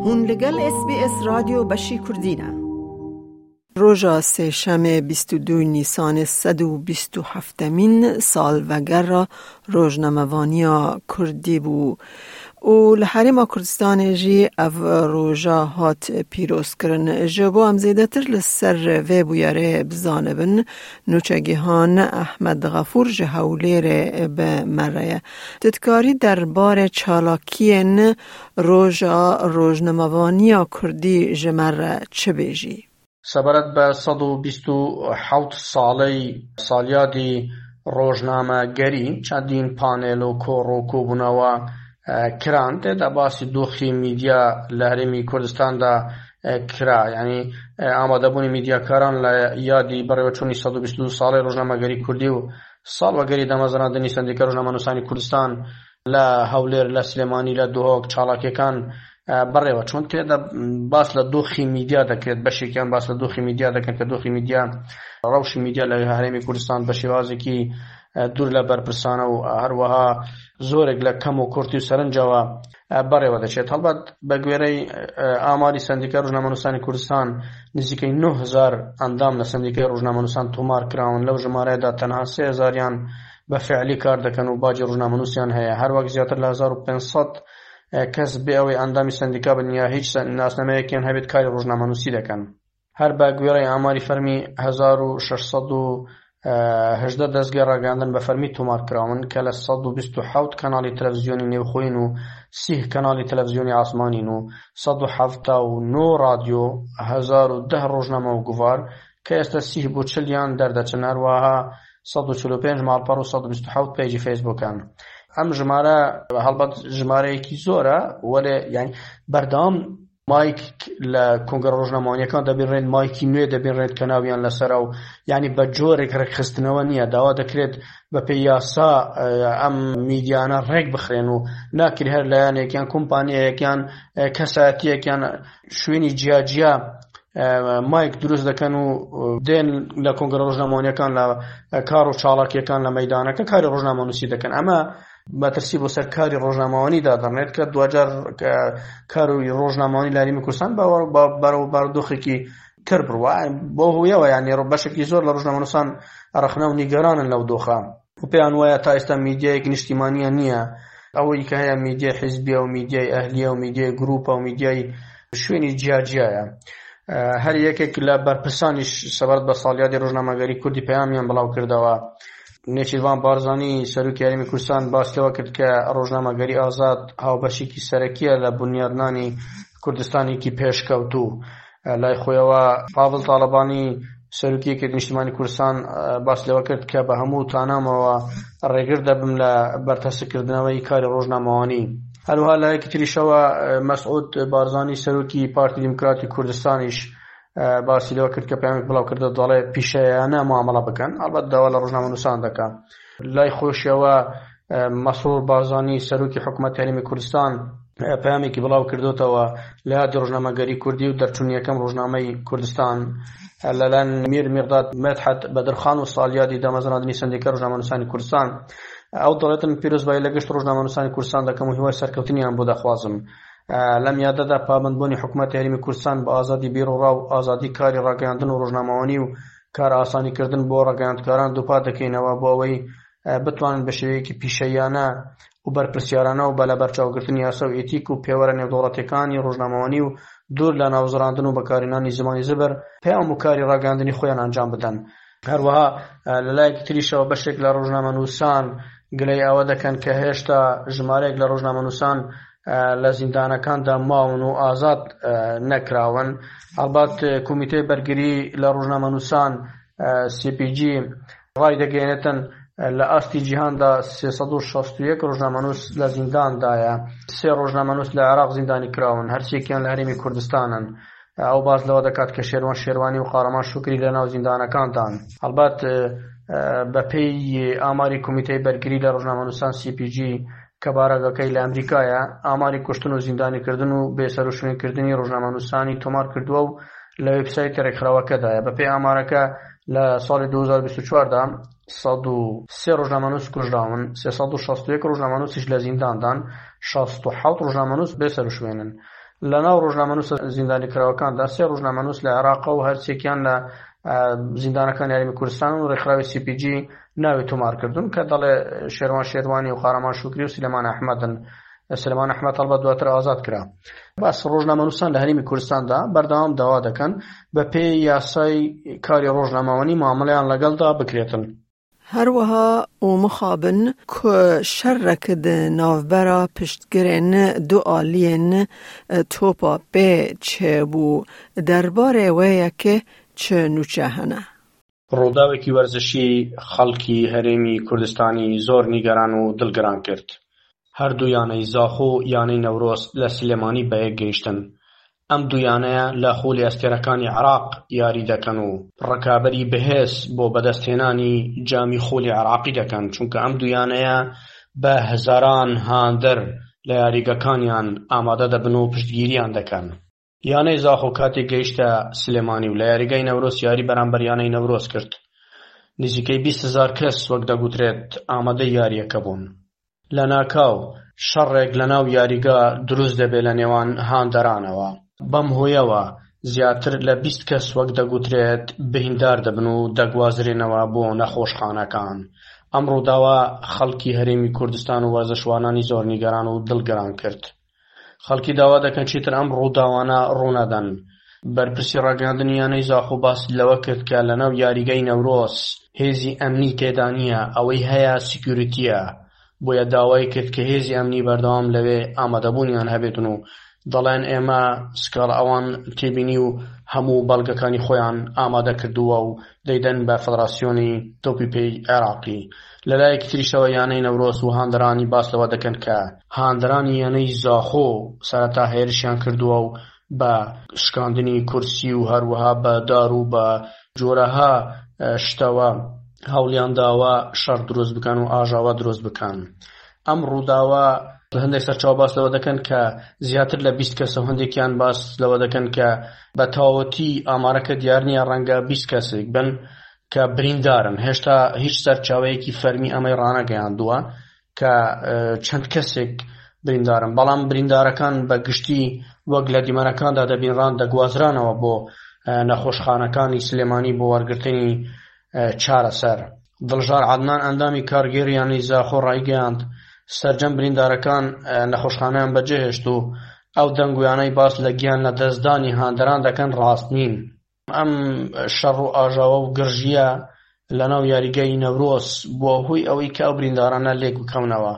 Hûn li gel SBS Radyo beşî Kurdî ne. Roja sêşemê 22 Nîsanê 127mîn salvegera rojnamevaniya Kurdî bû û li Herêma Kurdistanê jî ev roja hat pîrozkirin. Ji bo em zêdetir li ser vê bûyerê bizanibin, nûçegihan Ehmed Xefûr ji Hewlêrê bi me re ye. Tu dikarî derbarê çalakiyên Roja Rojnamevaniya Kurdî ji me re çi bêjî? سەبارەت بە 127 ساڵەی ساڵیادی ڕۆژنامەگەری چەندین پانێل و کۆڕ و کۆبوونەوە کران، تێدا باسی دۆخی میدیا لە هەرێمی کوردستاندا کرا، یعنی ئامادەبوونی میدیاکاران لە یادی بەڕێوەچوونی 122 ساڵەی ڕۆژنامەگەری کوردی و ساڵوەگەری دامەزراندنی سەندیکای ڕۆژنامەنووسانی کوردستان لە هەولێر، لە سلێمانی، لە دهۆک چاڵاکیەکان بەڕێوە چۆن. تێدا باس لە دۆخی میدیا دەکرێت، بەشێکیان باس لە دۆخی میدیا دەکەن کە دۆخی میدیا، ڕەوشی میدیا لە هەرێمی کوردستان بە شێوازێکی دوور لە بەرپرسانە و هەروەها زۆرێک لە کەم و کورتی و سەرنجەوە بەڕێوە دەچێت. هەڵبەت بە گوێرەی ئاماری سەندیکای ڕۆژنامەنووسانی کوردستان نزیکەی 9000 ئەندام لە سەندیکای ڕۆژنامەنووسان تۆمار کراون، لەو ژمارەیەدا تەنها 3000یان بە فعلی کار دەکەن و باجی ڕۆژنامەنووسیان هەیە. هەروەک زیاتر لە 1500 کەس بێ ئەوەی ئەندامی سەندیکا بن یا هیچ ناسنامەیەکیان هەبێت کاری ڕۆژنامەنووسی دەکەن. هەر بە گوێرەی ئاماری فەرمی 1618 دەزگای ڕاگەیاندن بە فەرمی تۆمار کراون کە لە 127 کەناڵی تەلەڤزیۆنی نێوخۆیین و 30 کەناڵی تەلەڤزیۆنی ئاسمانین و 179 ڕادیۆ، 1010 ڕۆژنامە و گوڤار کە ئێستا 30 بۆ 40یان دەردەچن، هەروەها 145 ماڵپەڕ و 127 پەیجی فەیسبووکن. ئەم ژمارە هەڵبەت ژمارەیەکی زۆرە، وەلێ یعنی بەردەوام مایک لە کۆنگرە ڕۆژنامەوانیەکان دەبینرێن، مایکی نوێ دەبینرێت کە ناویان لەسەرە و یعنی بە جۆرێک ڕێکخستنەوە نییە. داوا دەکرێت بە پێی یاسا ئەم میدیانە ڕێک بخرێن و ناکرێت هەر لایەنێک یان کۆمپانیایەک یان کەسایەتیەک یان شوێنی جیاجیا مایک دروست دەکەن و دێن لە کۆنگرە ڕۆژنامەوانیەکان لە کار و چاڵاکیەکان لە مەدانەکە کاری ڕۆژنامەنووسی دەکەن. ئەمە مەترسی بۆ سەر کاری ڕۆژنامەوانی دادەڕێت کە دواجار کار و ڕۆژنامەوانی لە هەرێمی کوردستان بەرەو بارودۆخێکی تر بڕوا. بۆ هۆیەوە یعنی بەشێکی زۆر لە ڕۆژنامەنووسان ڕەخنە و نیگەرانن لەو دۆخە و پێیان وایە تا ئێستا میدیایەکی نیشتیمانیان نییە. ئەوەی کە هەیە میدیای حیزبیە و میدیای ئەهلیە و میدیای گروپە و میدیای شوێنی جیاجیایە. هەر یەکێک لە بەرپرسانیش سەبارەت بە ساڵیادی ڕۆژنامەگەری کوردی پەیامیان بڵاو کردەوە. نێچیرڤان بارزانی سەرۆکی هەرێمی کوردستان باس لەوە کرد کە ڕۆژنامەگەری ئازاد هاوبەشێکی سەرەکیە لە بونیادنانی کوردستانێکی پێشکەوتوو. لای خۆیەوە پاڤڵ تاڵەبانی سەرۆکی یەکێتی نیشتیمانی کوردستان باس لەوە کرد کە بە هەموو تانامەوە ڕێگر دەبم لە بەرتەسکردنەوەی کاری ڕۆژنامەوانی. هەروەها لایەکی تریشەوە مەسعود بارزانی سەرۆکی پارتی دیموکراتی کوردستانیش باسی لەوە کرد کە پەیامێک بڵاو کردەوە دەڵێ پیشەیانە معامەڵە بکەن، ئەڵبەت داوا لە ڕۆژنامەنووسان دەکا. لای خۆشیەوە مەسرور بارزانی سەرۆکی حکوومەت هەرێمی کوردستان پەیامێکی بڵاو کردوتەوە لە یادی ڕۆژنامەگەری کوردی و دەرچوونی یەکەم ڕۆژنامەی کوردستان لەلایەن میر میقداد مدحەت بەدرخان و ساڵیادی دامەزراندنی سەندیکای ڕۆژنامەنووسانی کوردستان. ئەو دەڵێتن پیرۆزبایی لە گشت ڕۆژنامەنووسانی کوردستان دەکەم و هیوای سەرکەوتنیان بۆ دەخوازم. لەم یادەدا پابەندبوونی حکوومەتی هەرێمی کوردستان بە ئازادی بیروڕا و ئازادی کاری ڕاگەیاندن و ڕۆژنامەوانی و کارئاسانیکردن بۆ ڕاگەیاندکاران دووپات دەکەینەوە بۆ ئەوەی بتوانن بە شێوەیەکی پیشەییانە و بەرپرسیارانە و بە لەبەرچاوگرتنی یاسا و ئێتیک و پێوەرە نێودەوڵەتییەکانی ڕۆژنامەوانی و دوور لە ناوزڕاندن و بەکارهێنانی زمانی زبر پەیام و کاری ڕاگەیاندنی خۆیان ئەنجام بدەن. هەروەها لە لایەکی تریشەوە بەشێک لە ڕۆژنامەنووسان گلەی ئەوە دەکەن کە هێشتا ژمارەیەک لە ڕۆژنامەنووسان لە زیندانەکاندا ماون و ئازاد نەکراون. هەڵبەت کۆمیتەی بەرگری لە ڕۆژنامەنووسان CPG ڕایدەگەیەنێتن لە ئاستی جیهاندا 361 ڕۆژنامەنووس لە زینداندایە. سێ ڕۆژنامەنووس لە عێراق زیندانی کراون، هەرسێکیان لە هەرێمی کوردستانن. ئەو باس لەوە دەکات کە شێروان شێروانی و قارەمان شوکری لە ناو زیندانەکاندان. هەڵبەت بەپێی ئاماری کۆمیتەی بەرگری لە ڕۆژنامەنووسان CPG کە بارەگاکەی لە ئەمریکایە، ئاماری کوشتن و زیندانیکردن و بێسەروشوێنکردنی ڕۆژنامەنووسانی تۆمار کردووە و لە وێبسایتی ڕێکخراوەکەدایە. بەپێی ئامارەکە لە ساڵی 2024 دا 103 ڕۆژنامەنووس کوژراون، 361 ڕۆژنامەنووسیش لە زینداندان، 67 ڕۆژنامەنووس بێسەروشوێنن. لەناو ڕۆژنامەنووسە زیندانیکراوەکاندا سێ ڕۆژنامەنووس لە عێراقە و هەرسێکیان لە زیندانەکانی هەرێمی کوردستان و ڕێکخراوی سی پی جی ناوی تۆمار کردوون کە دەڵێ شێروان شێروانی و قارەمان شوکری و سلێمان ئەحمەدن. سلێمان ئەحمەد هەڵبەت دواتر ئازاد کرا. باس ڕۆژنامەنووسان لە هەرێمی کوردستاندا بەردەوام داوا دەکەن بە پێی یاسای کاری ڕۆژنامەوانی مامەڵەیان لەگەڵدا بکرێتن. هەروەها و مخابن ku şerek di navbera piştgirên du aliyên topa pê çêbû, derbarê wê yekê çi nûçe hene؟ ڕووداوێکی وەرزشی خەڵکی هەرێمی کوردستانی زۆر نیگەران و دڵگران کرد. هەردوو یانەی زاخۆ و یانەی نەورۆز لە سلێمانی بەیەک گەیشتن. ئەم دوو یانەیە لە خولی ئەستێرەکانی عێراق یاری دەکەن و ڕکابەری بەهێز بۆ بەدەستهێنانی جامی خولی عێراقی دەکەن، چونکە ئەم دوو یانەیە بە هەزاران هاندەر لە یاریگەکانیان ئامادە دەبن و پشتگیریان دەکەن. یانەی زاخۆ کاتێک گەیشتە سلێمانی و لە یاریگای نەورۆز یاری بەرامبەر یانەی نەورۆز کرد، نزیکەی 20 هەزار کەس وەک دەگوترێت ئامادەی یارییەکە بوون. لەناکاو شەڕێک لەناو یاریگا دروست دەبێت لە نێوان هاندەرانەوە، بەم هۆیەوە زیاتر لە 20 کەس وەک دەگوترێت بریندار دەبن و دەگوازرێنەوە بۆ نەخۆشخانەکان. ئەم ڕووداوە خەڵکی هەرێمی کوردستان و وەرزشوانانی زۆر نیگەران و دڵگران کرد. خەڵکی داوا دەکەن چیتر ئەم ڕووداوانە ڕوونەدەن. بەرپرسی ڕاگەیاندنی یانەی زاخۆ باسی لەوە کرد کە لەناو یاریگای نەورۆز هێزی ئەمنی تێدا نییە، ئەوەی هەیە سیکیوریتییە، بۆیە داوای کرد کە هێزی ئەمنی بەردەوام لەوێ ئامادەبوونیان هەبێتن و دەڵێن ئێمە سکاڵا ئەوان تێبینی و هەموو بەڵگەکانی خۆیان ئامادە کردووە و دەیدەن بە فەدراسیۆنی تۆپی پێی عێراقی. لەلایەکی تریشەوە یانەی نەورۆز و هاندەرانی باس لەوە دەکەن کە هاندەرانی یانەی زاخۆ سەرەتا هێرشیان کردووە و بە شکاندنی کورسی و هەروەها بە دار و بە جۆرەها شتەوە هەوڵیان داوە شەڕ دروست بکەن و ئاژاوە دروست بکەن. ئەم ڕووداوە هەندێک سەرچاوە باس لەوە دەکەن کە زیاتر لە 20 کەسە و هەندێکیان باس لەوە دەکەن کە بە تەواوەتی ئامارەکە دیار نییە، ڕەنگە 20 کەسێک بن کە بریندارن. هێشتا هیچ سەرچاوەیەکی فەرمی ئەمەی ڕانەگەیاندووە کە چەند کەسێک بریندارن، بەڵام بریندارەکان بە گشتی وەک لە دیمەنەکاندا دەبینران دەگوازرانەوە بۆ نەخۆشخانەکانی سلێمانی بۆ وەرگرتنی چارەسەر. دڵژار عەدنان ئەندامی کارگێڕی یانەی زاخۆ ڕایگەیاند، سەرجەم بریندارەکان نەخۆشخانەیان بەجێهێشت و ئەو دەنگۆیانەی باس لە گیان لەدەستدانی هاندەران دەکەن ڕاست نین. ئەم شەڕ و ئاژاوە و گرژییە لەناو یاریگای نەورۆز بووە هۆی ئەوەی کە ئەو بریندارانە لێک بکەونەوە.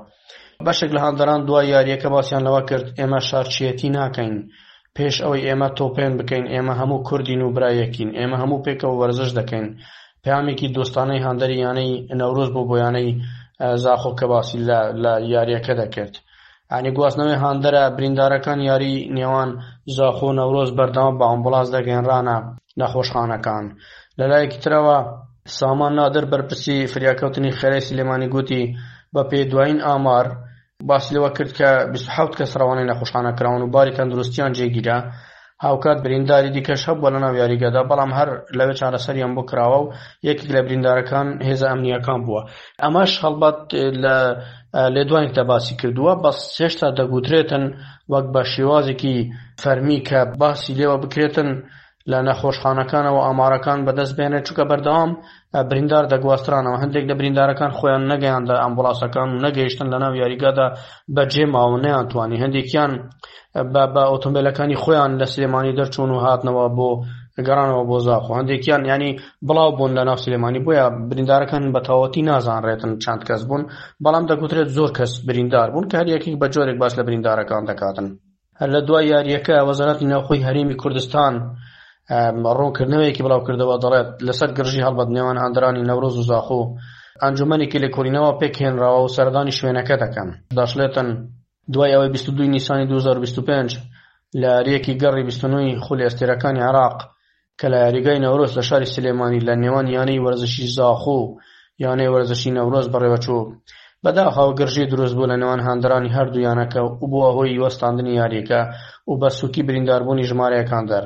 بەشێک لە هاندەران دوای یارییەکە باسیان لەوە کرد، ئێمە شارچییەتی ناکەین، پێش ئەوەی ئێمە تۆپێن بکەین ئێمە هەموو کوردین و برایەکین، ئێمە هەموو پێکەوە وەرزش دەکەین. پەیامێکی دۆستانەی هاندەری یانەی نەورۆز بوو بۆ یانەی زاخۆ کە باسی لە یارییەکە دەکرد. یانی گواستنەوەی هاندەرە بریندارەکان یاری نێوان زاخۆ و نەورۆز بەردەوام بە ئامبوڵانس دەگەیەنرانە نەخۆشخانەکان. لەلایەکی ترەوە سامان نادر بەرپرسی فریاکەوتنی خێرای سلێمانی گوتی بەپێی دوایین ئامار باسی لەوە کرد کە 27 کەس ڕەوانەی نەخۆشخانە کراون و باری تەندروستیان جێگیرە. هاوکات برینداری دیکەش هەبووە لەناو یاریگەدا، بەڵام هەر لەوێ چارەسەریان بۆ کراوە و یەکێک لە بریندارەکان هێزە ئەمنییەکان بووە. ئەمەش هەڵبەت لە لێدوانێکدا باسی کردووە، بەس هێشتا دەگوترێتن وەک بە شێوازێکی فەرمی کە باسی لێوە بکرێتن لە نەخۆشخانەکانەوە ئامارەکان بەدەست بێنێت، چونکە بەردەوام بریندار دەگواسترانەوە، هەندێک لە بریندارەکان خۆیان نەگەیاندە ئەمبوڵاسەکان و نەگەیشتن لەناو یاریگادا بەجێ ماون نەیانتوانی، هەندێکیان بە ئۆتۆمبیلەکانی خۆیان لە سلێمانی دەرچوون و هاتنەوە بۆ گەڕانەوە بۆ زاخۆ، هەندێکیان ینی بڵاو بوون لە ناو سلێمانی، بۆیە بریندارەکان بە تەواوەتی نازانرێتن چەند کەس بوون، بەڵام دەگوترێت زۆر کەس بریندار بوون کە هەر یەکێک بە جۆرێک باس لە بریندارەکان دەکاتن. هەر لە دوای یارییەکە وەزارەتی ناوخۆی هەرێمی کوردستان ڕوونکردنەوەیەکی بڵاوکردەوە دەڵێت لەسەر گرژی هەڵبەت نێوان هاندەرانی نەورۆز و زاخۆ ئەنجومەنێکی لێکۆڵینەوە پێکهێنراوە و سەردانی شوێنەکە دەکەن. دەشڵێتن دوای ئەوەی 22 نیسانی 2025 لە یارییەکی گەڕی 29 خولی ئەستێرەکانی عێراق کە لە یاریگای نەورۆز لە شاری سلێمانی لە نێوان یانەی وەرزشی زاخۆ و یانەی وەرزشی نەورۆز بەڕێوەچوو، بەداخەوە گرژی دروستبوو لە نێوان هاندەرانی هەردوو یانەکە و بووە هۆی وەستاندنی یارییەکە و بە سووکی برینداربوونی ژمارەیەک هاندەر.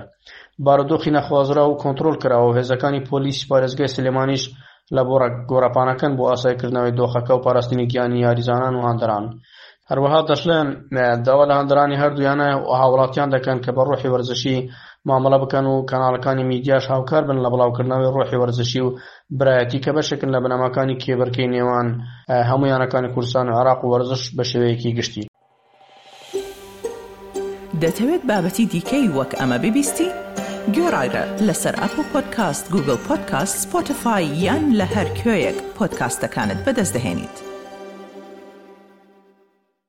بارودۆخی نەخوازراو و کۆنترۆڵ کراوە و هێزەکانی پۆلیسی پارێزگای سلێمانیش لە گۆڕەپانەکەن بۆ ئاساییکردنەوەی دۆخەکە و پاراستنی گیانی یاریزانان و هاندەران. هەروەها دەشڵێن، داوا لە هاندەرانی هەردوو یانە و هاوڵاتیان دەکەن کە بە ڕۆحی وەرزشی مامەڵە بکەن و کەناڵەکانی میدیاش هاوکار بن لە بڵاوکردنەوەی ڕۆحی وەرزشی و برایەتی کە بەشێکن لە بنەماکانی کێبڕکێی نێوان هەموو یانەکانی کوردستان و عێراق و وەرزش بە شێوەیەکی گشتی. دەتەوێت بابەتی دیکەی وەک ئەمە ببیستی؟ گۆڕایرە لەسەر ئەپڵ پۆدکاست، گوگڵ پۆدکاست، سپۆتفای یان لە هەر کوێیەک پۆدکاستەکانت بەدەست دەهێنیت.